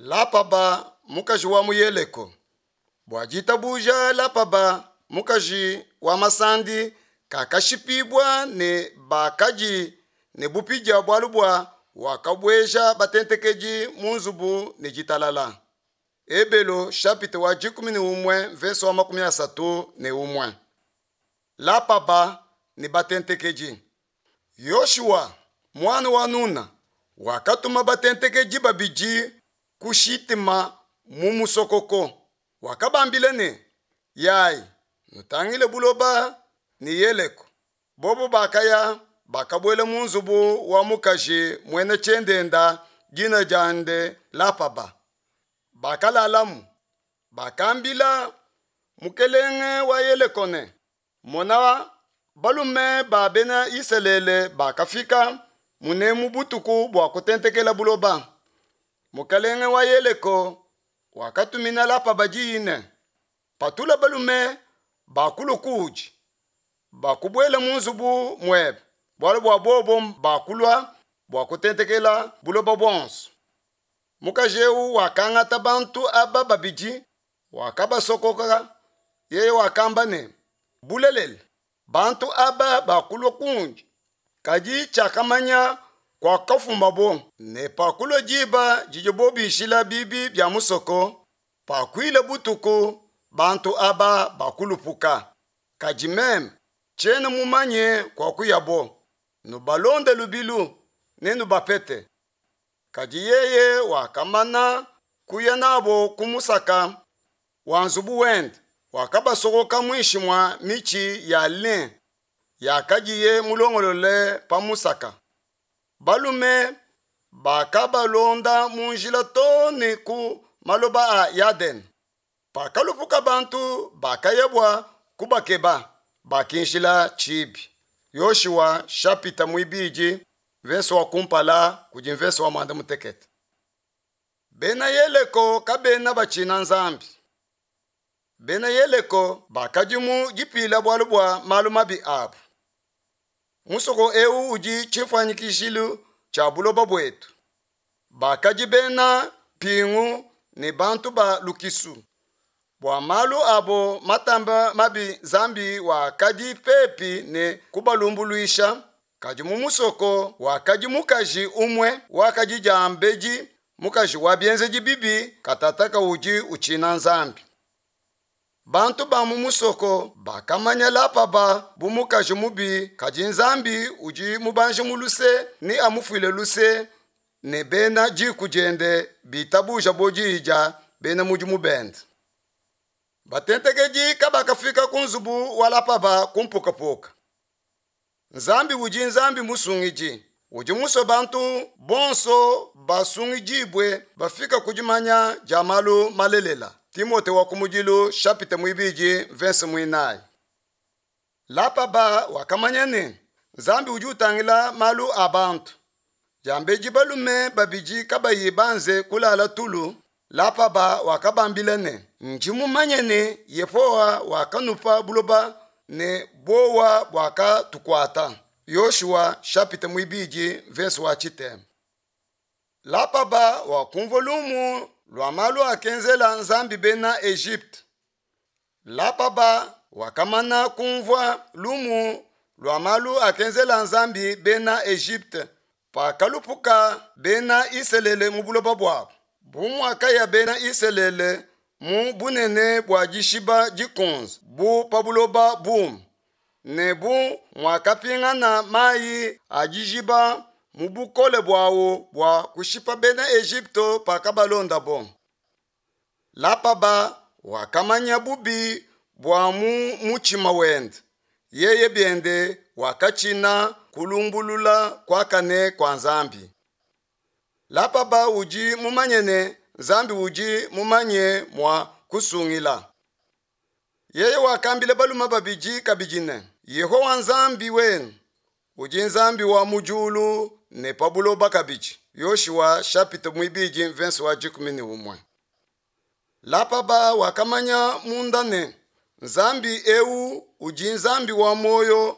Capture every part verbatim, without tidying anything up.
Lapaba, mukaji wa mu Yeleko. Bua ditabuja Lapaba, mukaji wa masandi, kakashipibua ne bakadi ne bupidia bualu bua wakabueja batentekedi mu nzubu ne ditalala. Ebelo chapitre wa dikumi ne umue verse wa makumi asatu ne umue. Lapaba ne batentekedi. Yoshua muana wa Nuna wakatuma batentekedi babidi ku Shitima mu musokoko. Wakabambila ne, Yayi, nutangile buloba ne Yeleko. Bobo bakaya, bakabuela mu nzubu wa mukaji muena tshiendenda dina diende Lapaba. Bakalalamu. Bakambila mukelenge wa Yeleko ne, Mona, balume ba bena Isalele bakafika munemu butuku bua kutentekela buloba. Mukelenge wa Yeleko wakatumina Lapaba diyi ne, Patula balume bakulua kuudi, bakubuela mu nzubu muebe, bualu bua bobo bakulua bua kutentekela buloba buonso. Mukaji eu wakangata bantu aba babidi, wakabasokoka. Yeye wakamba ne, Bulelela, bantu aba bakulua kundi, kadi tshiakamanya kuakafumabo. Ne pakulua diba didibo bishila bibi bia musoko, pakuila butuku, bantu aba bakulupuka, kadi meme tshiena mumanye kuakuyabo. Nubalonde lubilu, nenubapete. Kadi yeye wakamana kuya nabo ku musaka wa nzubu wende, wakabasokoka muinshi mua mitshi ya lin yakadiye mulongolole pa musaka. Balume bakabalonda mu njila too ne ku maloba a Yadene. Pakalupuka bantu bakaya bua kubakeba, bakinjila tshibi. Yoshua chapitre muibidi verse wa kumpala kudi verse wa muanda mutekete. Bena Yeleko kabena batshina Nzambi. Bena Yeleko bakadi mu dipila bualu bua malu mabi abu. Musoko eu udi tshifuanyikishilu tshia buloba buetu. Bakadi bena mpingu ne bantu ba lukisu. Bua malu abo matamba mabi Nzambi wakadi pepi ne kubalumbuluisha, kadi mu musoko wakadi mukaji umue wakadi diambedi mukaji wa bienzedi bibi katataka udi utshina Nzambi. Bantu ba mu musoko bakamanya Lapaba bu mukaji mubi, kadi Nzambi udi mubanji mu luse ne amufuile luse ne bena diku diende bitabuja bo diyi dia bena mudimu bende. Batentekedi kabakafika ku nzubu wa Lapaba ku mpukapuka. Nzambi udi Nzambi musungidi, udi musue bantu bonso basungidibue bafika ku dimanya dia malu malelela. Timote wa kumudilu chapitre muibidi verse muinayi. Lapaba wakamanya ne Nzambi udi utangila malu a bantu. Diambedi balume babidi kabayi banze kulala tulu, Lapaba wakabambila ne, Ndi mumanye ne Yehowa wakanupa buloba ne bowa buakatukuata. Yoshua chapitre muibidi verse wa tshitema. Lapaba wakumvua lumu lua malu akenzela Nzambi bena Egypte. Lapaba wakamana kumvua lumu lua malu akenzela Nzambi bena Egypte pakalupuka bena Isalele mu buloba buabu. Bu muakaya bena Isalele mu bunene bua dishiba dikunze bu pa buloba bume, ne bu muakapingana mayi a dijiba mu bukole buawu bua kushipa bena Egypte pakabalondabo. Lapaba wakamanya bubi bua mu mutshima wende, yeye biende wakatshina kulumbulula kuakane kua Nzambi. Lapaba udi mumanye ne Nzambi udi mumanye mua kusungila. Yeye wakambila balume babidi kabidi ne, Yehowa Nzambi wenu udi Nzambi wa mu diulu ne pa buloba kabidi. Yoshua chapitre muibidi verse wa dikumi ne umue. Lapaba wakamanya munda ne Nzambi eu udi Nzambi wa muoyo,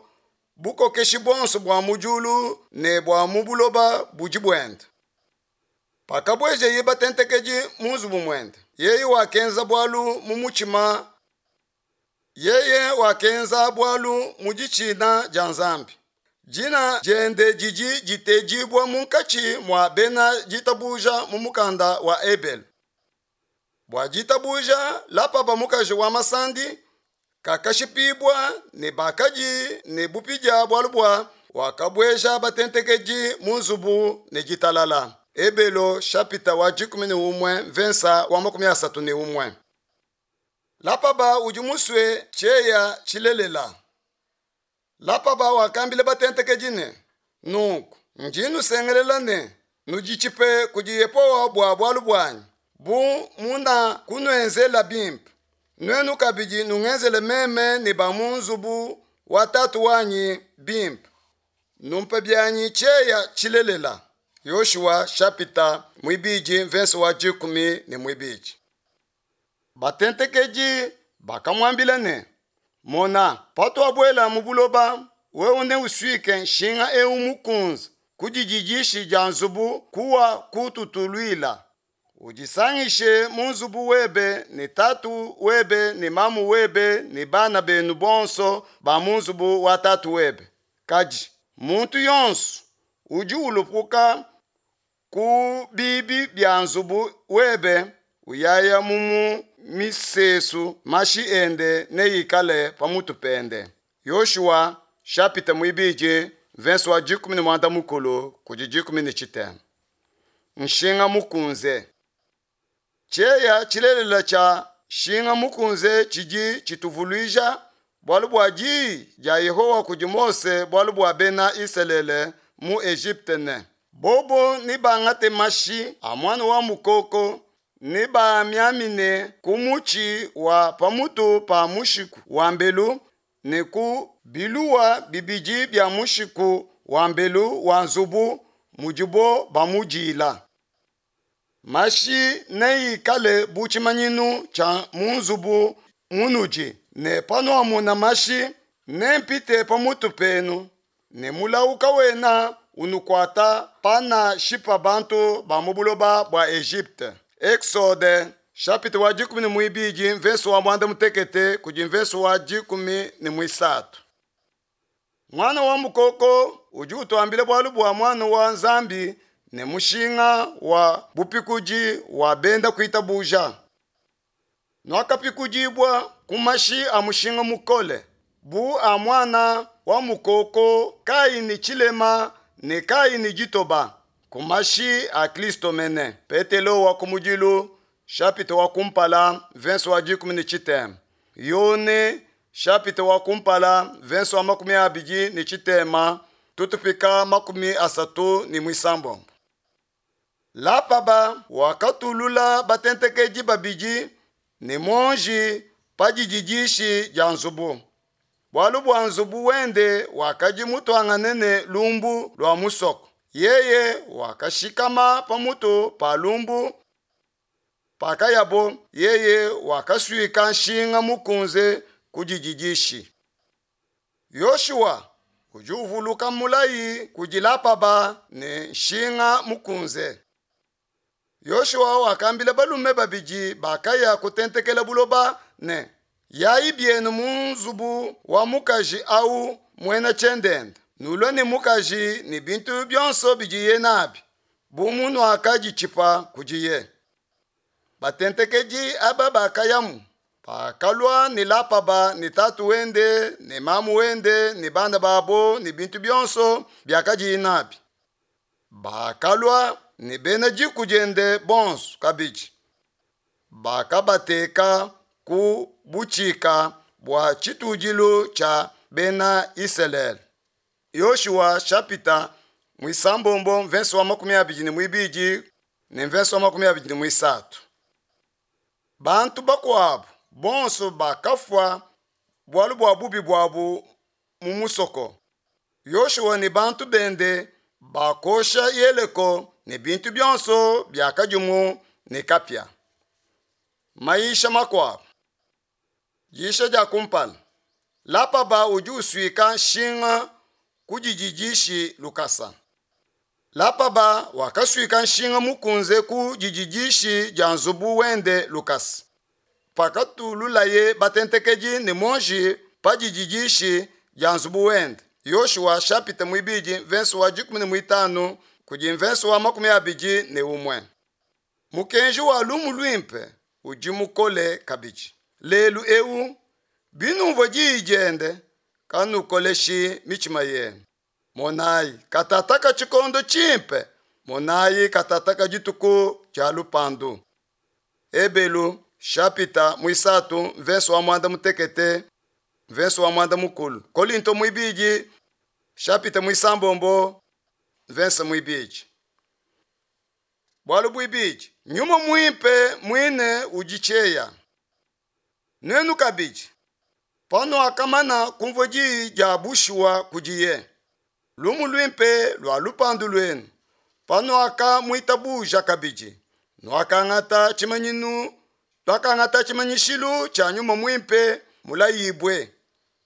bukokeshi buonso bua mu diulu ne bua mu buloba budi buende. Pakabuejeye batentekedi mu nzubu muende, yeye wakenza bualu mu mutshima, yeye wakenza bualu mu ditshina dia Nzambi. Dina diende didi ditedibua munkatshi mua bena ditabuja mu mukanda wa Ebelu. Bua ditabuja, Lapaba mukaji wa masandi kakashipibua ne bakadi ne bupidia bualu bua wakabueja batentekedi mu nzubu ne ditalala. Ebelo chapitre wa dikumi ne umue mvensa wa makumi asatu ne umue. Lapaba udi musue tshieya tshilelela. Lapaba wakambila batentekedi ne, nunku ndi nusengelela ne nuditshipe kudi Yehowa bua bualu buanyi, bu munakunuenzela bimpe, nuenu kabidi nungenzele meme ne ba mu nzubu wa tatu wanyi bimpe. Numpe bianyi tshieya tshilelela. Yoshua chapitre muibidi mvensa wa dikumi ne muibidi. Batentekedi bakamuambila ne, mona, patuabuela mu buloba, wewe neusuike nshinga eu mukunze ku dididishi dia nzubu kuwa kututuluila. Udisangishe mu nzubu webe ne tatu webe ne mamu webe ne bana benu bonso ba mu nzubu wa tatu webe. Kadi muntu yonso udi ulupuka ku bibi bia nzubu webe uyaya mu misesu, mashi ende neikale pamutu pende. Yoshua chapitre muibidi verse wa dikumi ne muanda mukulu kudi dikumi ne tshitema. Nshinga mukunze. Tshieya tshilelela tshia nshinga mukunze tshidi tshituvuluija bualu bua diyi dia Yehowa kudi Mose bualu bua bena Isalele mu Egypte ne, bobo nebangate mashi a muana wa mukoko nebamiamine ku mutshi wa pamutu pa mushiku wa mbelu ne ku biluwa bibidi bia mushiku wa mbelu wa nzubu mudibo bamudila. Mashi neikale bu tshimanyinu tshia mu nzubu munudi, ne panuamona mashi nempite pamutu penu, ne mulawu kawena unukuata panashipa bantu ba mu buloba bua Egypte. Exode chapitre wa dikumi ne muibidi mvese wa muanda mutekete kudi mvese wa dikumi ne muisatu. Mwana wa mukoko udi utuambila bualu bua mwana wa Nzambi ne mushinga wa bupikudi wa benda kuitabuja. Nuakapikudibua ku mashi a mushinga mukole, bu a mwana wa mukoko kayi ne tshilema ne kayi ne ditoba, ku mashi a Kristo mene. Petelo wa kumudilu chapitre wa kumpala verse wa dikumi ne tshitema. Yone chapitre wa kumpala verse wa makumi abidi ne tshitema tutupika makumi asatu ne muisambombo. Lapaba wakatulula batentekedi babidi ne monji pa dididishi dia nzubu. Bualu bua nzubu wende wakadi mutuangane ne lumbu lua musoko. Yeye wakashikama pamutu pa lumbu. Pakayabo, yeye wakasuika nshinga mukunze ku dididishi. Yoshua udi uvuluka mulayi kudi Lapaba ne nshinga mukunze. Yoshua wakambila balume babidi bakaya kutentekela buloba ne, yayi bienu mu nzubu wa mukaji au muena tshiendenda, nulue ne mukaji ne bintu bionso bidiye nabi, bu munuakaditshipa kudiye. Batentekedi aba bakayamu, bakalua ne Lapaba ne tatu wende ne mamu wende ne bana babo ne bintu bionso biakadiye nabi. Bakalua ne bena diku diende bonso kabidi. Bakabateka ku butshika bua tshitudilu tshia bena Isalele. Yoshua chapitre muisambombo mvese wa makumi abidi ne muibidi ne mvese wa makumi abidi ne muisatu. Bantu bakuabu bonso bakafua bualu bua bubi buabu mu musoko. Yoshua ne bantu bende bakosha Yeriko ne bintu bionso biakadimu ne kapia. Maisha makuabu. Diyisha dia kumpala. Lapaba udi usuika nshinga ku dididishi lukasa. Lapaba wakasuika nshinga mukunze ku dididishi dia nzubu wende lukasa. Pakatululaye batentekedi ne muonji pa dididishi dia nzubu wende. Yoshua chapitre muibidi verse wa dikumi ne muitanu kudi verse wa makumi abidi ne umue. Mukenji wa lumu luimpe udi mukole kabidi. Lelu eu binumvua diyi diende kanukoleshi mitshima yenu. Monayi katataka tshikondo tshimpe, monayi katataka dituku dia lupandu. Ebelu chapitre muisatu verse wa mwanda mutekete verse wa mwanda mukulu. Kolinto muibidi chapitre muisambombo verse muibidi. Bualu buibidi, nyuma muimpe muine udi tshieya. Nuenu kabidi, panuakamana kumvua diyi dia bushuwa kudiye, lumu luimpe lua lupandu luenu, panuakamuitabuja kabidi, nuakangata tshimanyinu, nuakangata tshimanyishilu tshia nyuma muimpe mulayibue,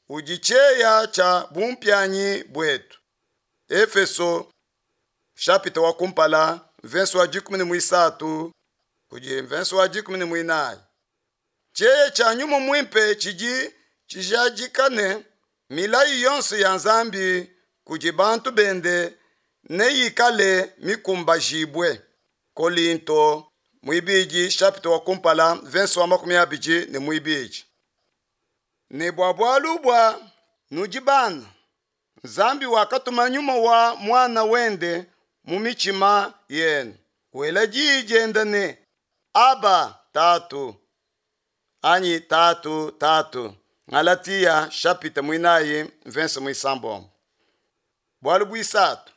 udi tshieya tshia bumpianyi buetu. Efeso chapitre wa kumpala verse wa dikumi ne muisatu kudi verse wa dikumi ne muinayi. Tshieya tshia nyuma muimpe tshidi tshijadika ne milayi yonso ya Nzambi kudi bantu bende neyikale mikumbajibue. Kolinto muibidi chapitre wa kumpala verse wa makumi abidi ne muibidi. Ne bua bualu bua nudi bana, Nzambi wakatuma nyuma wa mwana wende mu mitshima yenu, wela diyi diende ne Aba tatu anyi tatu tatu. Galatia chapitre muinayi verse muisambombo. Bualu buisatu,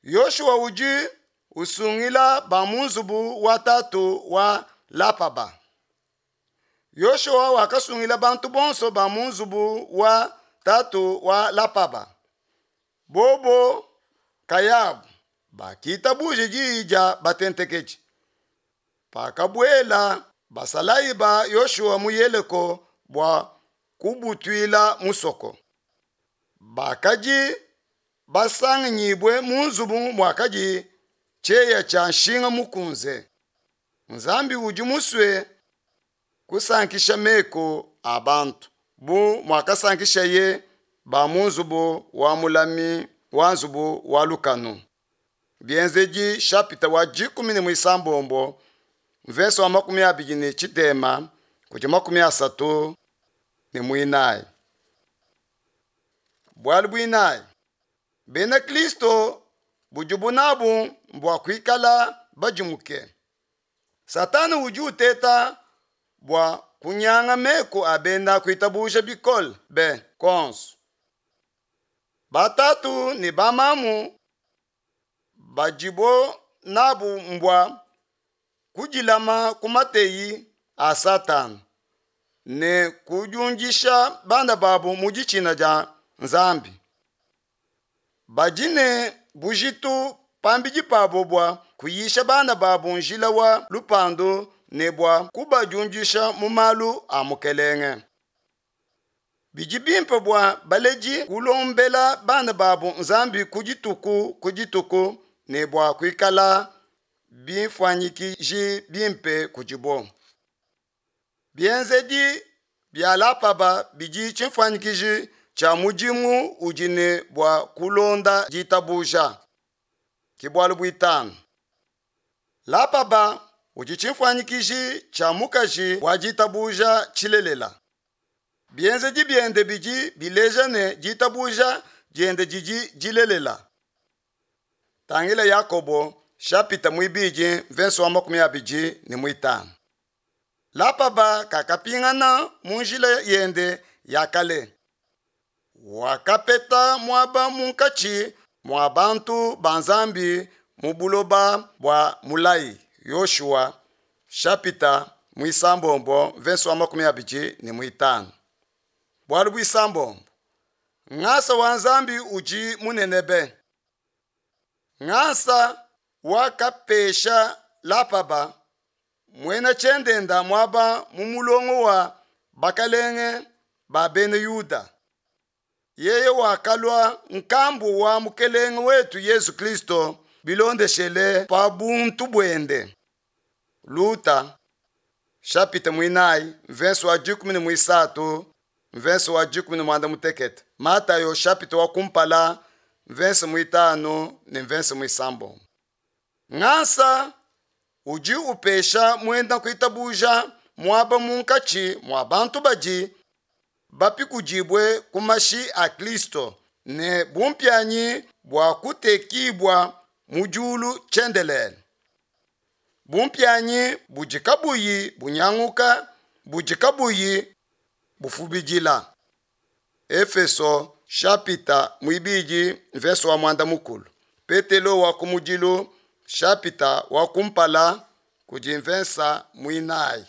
Yoshua udi usungila ba mu nzubu wa tatu wa Lapaba. Yoshua wakasungila bantu bonso ba mu nzubu wa tatu wa Lapaba. Bobo kayabu bakitabuje diyi dia batentekedi. Pakabuela basalayi ba Yoshua mu Yeriko bua kubutuila musoko, bakadi basanganyibue mu nzubu muakadi tshieya tshia nshinga mukunze. Nzambi udi musue kusankisha meku a bantu bu muakasankishaye ba mu nzubu wa mulami wa nzubu wa lukanu. Bienzedi chapitre wa dikumi ne muisambombo verse wa makumi abidi ne tshitema kudi makumi asatu ne muinayi. Bualu buinayi, bena Kristo budibu nabu mbua kuikala badimuke. Satana udi uteta bua kunyanga meku a bena kuitabuja bikole be konso. Batatu ne bamamu badibo nabu mbua kudilama ku mateyi a Satana ne kudiundisha bana babu mu ditshina dia Nzambi. Badi ne bujitu pambidi pabo bua kuyisha bana babu njila wa lupandu ne bua kubadiundisha mu malu a Mukelenge. Bidi bimpe bua baledi kulombela bana babu Nzambi ku dituku ku dituku ne bua kuikala bimfuanyikiji bimpe kudibo. Bienzedi bia Lapaba bidi tshimfuanyikiji tshia mudimu udi ne bua kulonda ditabuja. Ke bualu buitanu. Lapaba udi tshimfuanyikiji tshia mukaji wa ditabuja tshilelela. Bienzedi biende bidi bileja ne ditabuja diende didi dilelela. Tangila Yakobo chapitre muibidi verse wa makumi abidi ne muitanu. Lapaba kakapingana mu njila yende ya kale. Wakapeta muaba munkatshi mua bantu ba Nzambi mu buloba bua mulayi. Yoshua chapitre muisambombo verse wa makumi abidi ne muitanu. Bualu buisambombo, ngasa wa Nzambi udi munene be. Ngasa wakapesha Lapaba muena tshiendenda muaba mu mulongo wa bakalenge ba bena Yuda. Yeye wakalua nkambu wa mukelenge wetu Yesu Kristo bilondeshele pa buntu buende. Luta chapitre mwinayi mvese wa dikumi ne muisatu mvese wa dikumi ne muanda mutekete Matayo chapitre wa kumpala mvese muitanu ne mvese muisambombo. Ngasa udi upesha muena kuitabuja muaba munkatshi mua bantu badi bapikudibue ku mashi a Kristo ne bumpianyi bua kutekibua mu diulu tshiendelele. Bumpianyi budi kabuyi bunyanguka, budi kabuyi bufubidila. Efeso chapitre muibidi mvese wa muanda mukulu. Petelo wa kumudilu chapitre wa kumpala kudi mvesa muinayi.